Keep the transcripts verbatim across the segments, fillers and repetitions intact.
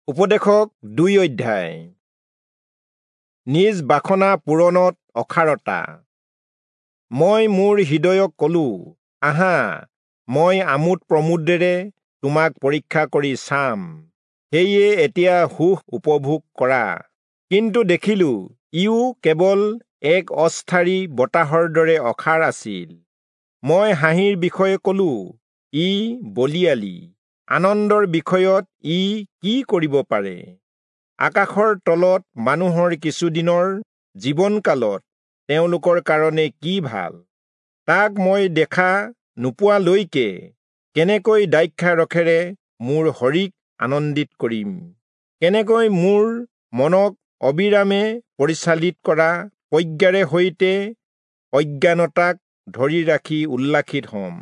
উপদেশক দুই অধ্যায়। নিজ বাসনা পূৰণত অসাৰতা। মই মোৰ হৃদয়ক কলো, আহা, মই আমোদ প্ৰমোদেৰে তোমাক পৰীক্ষা কৰি চাম, সেয়ে এতিয়া সুখ উপভোগ কৰা। কিন্তু দেখিলো ইও কেৱল এক অস্থায়ী বতাহৰ দৰে অসাৰ আছিল। মই হাঁহিৰ বিষয়ে কলো, ই বলিয়ালি, আনন্দৰ বিষয়ত ই কি কৰিব পাৰে? আকাশৰ তলত মানুহৰ কিছুদিনৰ জীৱনকালত তেওঁলোকৰ কাৰণে কি ভাল, তাক মই দেখা নোপোৱালৈকে কেনেকৈ দ্ৰাক্ষাৰসেৰে মোৰ শৰীক আনন্দিত কৰিম? কেনেকৈ মোৰ মনক অবিৰামে পৰিচালিত কৰা প্ৰজ্ঞাৰে সৈতে অজ্ঞানতাক ধৰি ৰাখি উল্লাসিত হ'ম?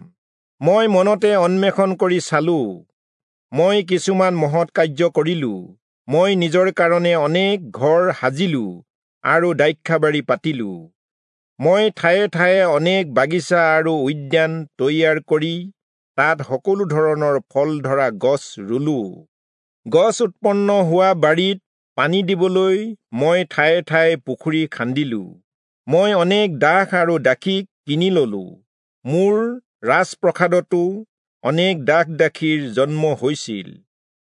মই মনতে অন্বেষণ কৰি চালো, মই কিছুমান মহৎ কাৰ্য কৰিলো। মই নিজৰ কাৰণে অনেক ঘৰ সাজিলো আৰু দ্ৰাক্ষাবাৰী পাতিলো। মই ঠায়ে ঠায়ে অনেক বাগিচা আৰু উদ্যান তৈয়াৰ কৰি তাত সকলো ধৰণৰ ফল ধৰা গছ ৰুলো। গছ উৎপন্ন হোৱা বাৰীত পানী দিবলৈ মই ঠায়ে ঠায়ে পুখুৰী খান্দিলো। মই অনেক দাস আৰু দাসীক কিনি ললো। মোৰ ৰাজপ্ৰসাদতো অনেক দাস দাসীৰ জন্ম হৈছিল।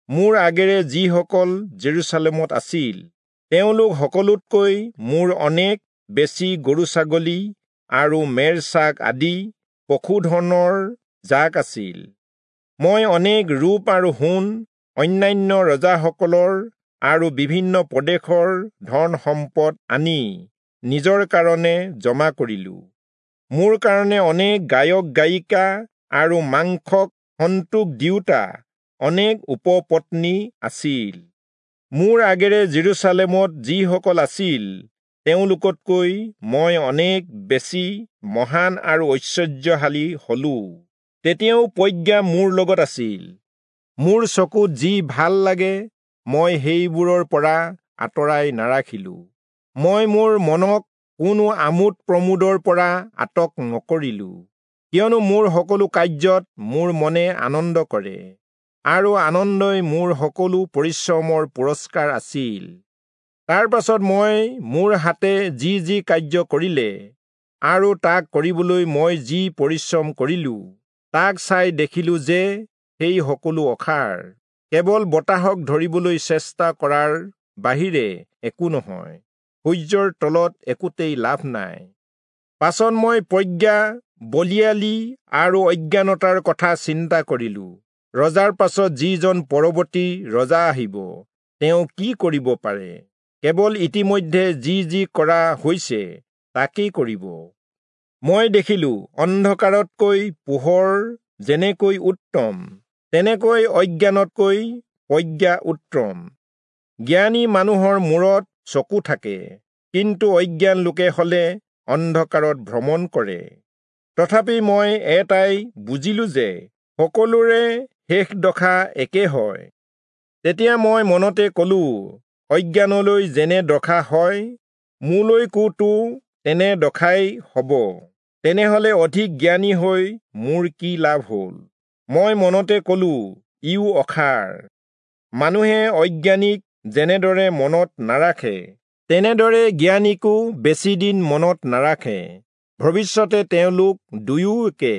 মোৰ আগেৰে যিসকল জেৰুচালেমত আছিল, তেওঁলোক সকলোতকৈ মোৰ অনেক বেছি গৰু ছাগলী আৰু মেৰ ছাগ আদি পশুধনৰ জাক আছিল। মই অনেক ৰূপ আৰু সোণ, অন্যান্য ৰজাসকলৰ আৰু বিভিন্ন প্ৰদেশৰ ধন সম্পদ আনি নিজৰ কাৰণে জমা কৰিলো। মোৰ কাৰণে অনেক গায়ক গায়িকা আৰু মাংসক সন্তোষ দিওঁতা অনেক উপপত্নী আছিল। মোৰ আগেৰে জেৰুচালেমত যিসকল আছিল, তেওঁলোকতকৈ মই অনেক বেছি মহান আৰু ঐশ্বৰ্যশালী হলো। তেতিয়াও প্ৰজ্ঞা মোৰ লগত আছিল। মোৰ চকুত যি ভাল লাগে, মই সেইবোৰৰ পৰা আঁতৰাই নাৰাখিলো। মই মোৰ মনক কোনো আমোদ প্ৰমোদৰ পৰা আটক নকৰিলো, কিয়নো মোৰ সকলো কাৰ্যত মোৰ মনে আনন্দ কৰে, আৰু আনন্দই মোৰ সকলো পৰিশ্ৰমৰ পুৰস্কাৰ আছিল। তাৰ পাছত মই মোৰ হাতে যি যি কাৰ্য কৰিলে আৰু তাক কৰিবলৈ মই যি পৰিশ্ৰম কৰিলো, তাক চাই দেখিলো যে সেই সকলো অসাৰ, কেৱল বতাহক ধৰিবলৈ চেষ্টা কৰাৰ বাহিৰে একো নহয়। সূৰ্যৰ তলত একোতেই লাভ নাই। পাছত মই প্ৰজ্ঞা, বলিয়ালি আৰু অজ্ঞানতাৰ কথা চিন্তা কৰিলো। ৰজাৰ পাছত যিজন পৰৱৰ্তী ৰজা আহিব, তেওঁ কি কৰিব পাৰে? কেৱল ইতিমধ্যে যি যি কৰা হৈছে তাকেই কৰিব। মই দেখিলো, অন্ধকাৰতকৈ পোহৰ যেনেকৈ উত্তম, তেনেকৈ অজ্ঞানতকৈ প্ৰজ্ঞা উত্তম। জ্ঞানী মানুহৰ মূৰত চকু থাকে, কিন্তু অজ্ঞান লোকে হলে অন্ধকাৰত ভ্ৰমণ কৰে। তথাপি মই এটাই বুজিলো যে সকলোৰে শেষ দশা একে হয়। তেতিয়া মই মনতে কলো, অজ্ঞানলৈ যেনে দশা হয়, মোলৈকোতো তেনে দশাই হব। তেনেহলে অধিক জ্ঞানী হৈ মোৰ কি লাভ হল? মই মনতে কলো, ইও অসাৰ। মানুহে অজ্ঞানীক যেনেদৰে মনত নাৰাখে, তেনেদৰে জ্ঞানীকো বেছিদিন মনত নাৰাখে। ভৱিষ্যতে তেওঁলোক দুয়োকে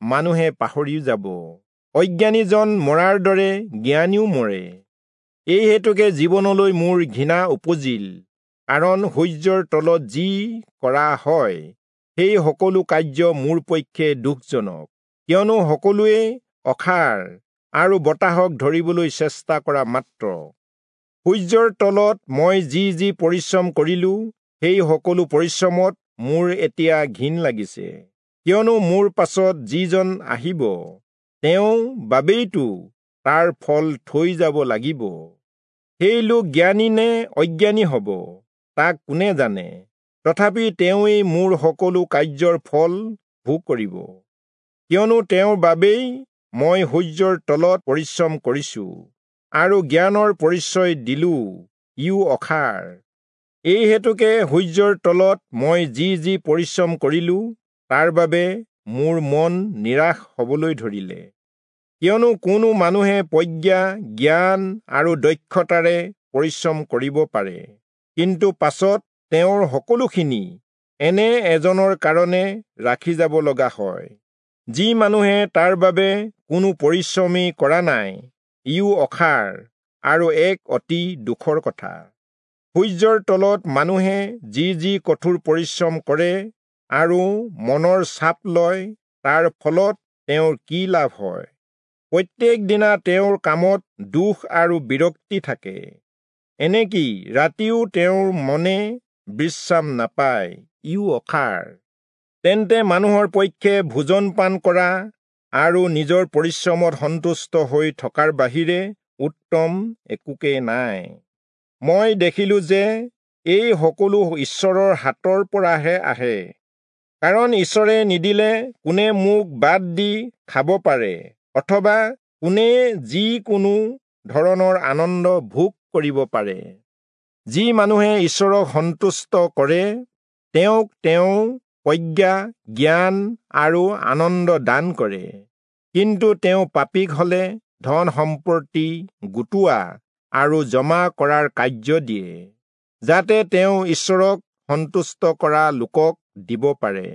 মানুহে পাহৰি যাব। অজ্ঞানীজন মৰাৰ দৰে জ্ঞানীও মৰে। এই হেতুকে জীৱনলৈ মোৰ ঘৃণা উপজিল, কাৰণ সূৰ্যৰ তলত যি কৰা হয়, সেই সকলো কাৰ্য মোৰ পক্ষে দুখজনক, কিয়নো সকলোৱে অসাৰ আৰু বতাহক ধৰিবলৈ চেষ্টা কৰা মাত্ৰ। সূৰ্যৰ তলত মই যি যি পৰিশ্ৰম কৰিলো, সেই সকলো পৰিশ্ৰমত মোৰ এতিয়া ঘিণ লাগিছে, কিয়নো মোৰ পাছত যিজন আহিব, তেওঁ বাবেইতো তাৰ ফল থৈ যাব লাগিব। সেই লোক জ্ঞানী নে অজ্ঞানী হব, তাক কোনে জানে? তথাপি তেওঁৱেই মোৰ সকলো কাৰ্যৰ ফল ভোগ কৰিব, কিয়নো তেওঁৰ বাবেই মই সূৰ্যৰ তলত পৰিশ্ৰম কৰিছো আৰু জ্ঞানৰ পৰিচয় দিলো, ইও অসাৰ। এই হেতুকে সূৰ্যৰ তলত মই যি যি পৰিশ্ৰম কৰিলো, তাৰ বাবে মোৰ মন নিৰাশ হবলৈ ধৰিলে। কিয়নো কোনো মানুহে প্ৰজ্ঞা, জ্ঞান আৰু দক্ষতাৰে পৰিশ্ৰম কৰিব পাৰে, কিন্তু পাছত তেওঁৰ সকলোখিনি এনে এজনৰ কাৰণে ৰাখি যাব লগা হয়, যি মানুহে তাৰ বাবে কোনো পৰিশ্ৰমেই কৰা নাই। ইও অসাৰ আৰু এক অতি দুখৰ কথা। সূৰ্যৰ তলত মানুহে যি যি কঠোৰ পৰিশ্ৰম কৰে আৰু মনৰ চাপ লয়, তাৰ ফলত তেওঁৰ কি লাভ হয়? প্ৰত্যেক দিনা তেওঁৰ কামত দুখ আৰু বিৰক্তি থাকে, এনেকি ৰাতিও তেওঁৰ মনে বিশ্ৰাম নাপায়। ইও অসাৰ। তেন্তে মানুহৰ পক্ষে ভোজন পান কৰা আৰু নিজৰ পৰিশ্ৰমত সন্তুষ্ট হৈ থকাৰ বাহিৰে উত্তম একোকে নাই। মই দেখিলো যে এই সকলো ঈশ্বৰৰ হাতৰ পৰাহে আহে, কাৰণ ঈশ্বৰে নিদিলে কোনে মোক বাদ দি খাব পাৰে, অথবা কোনে যি কোনো ধৰণৰ আনন্দ ভোগ কৰিব পাৰে? যি মানুহে ঈশ্বৰক সন্তুষ্ট কৰে, তেওঁক তেওঁ প্ৰজ্ঞা, জ্ঞান আৰু আনন্দ দান কৰে। কিন্তু তেওঁ পাপীক হলে ধন সম্পত্তি গোটোৱা আৰু জমা কৰাৰ কাৰ্য দিয়ে, যাতে তেওঁ ঈশ্বৰক সন্তুষ্ট কৰা লোকক দিব পাৰে।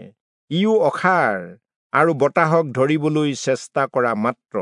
ইও অসাৰ আৰু বতাহক ধৰিবলৈ চেষ্টা কৰা মাত্ৰ।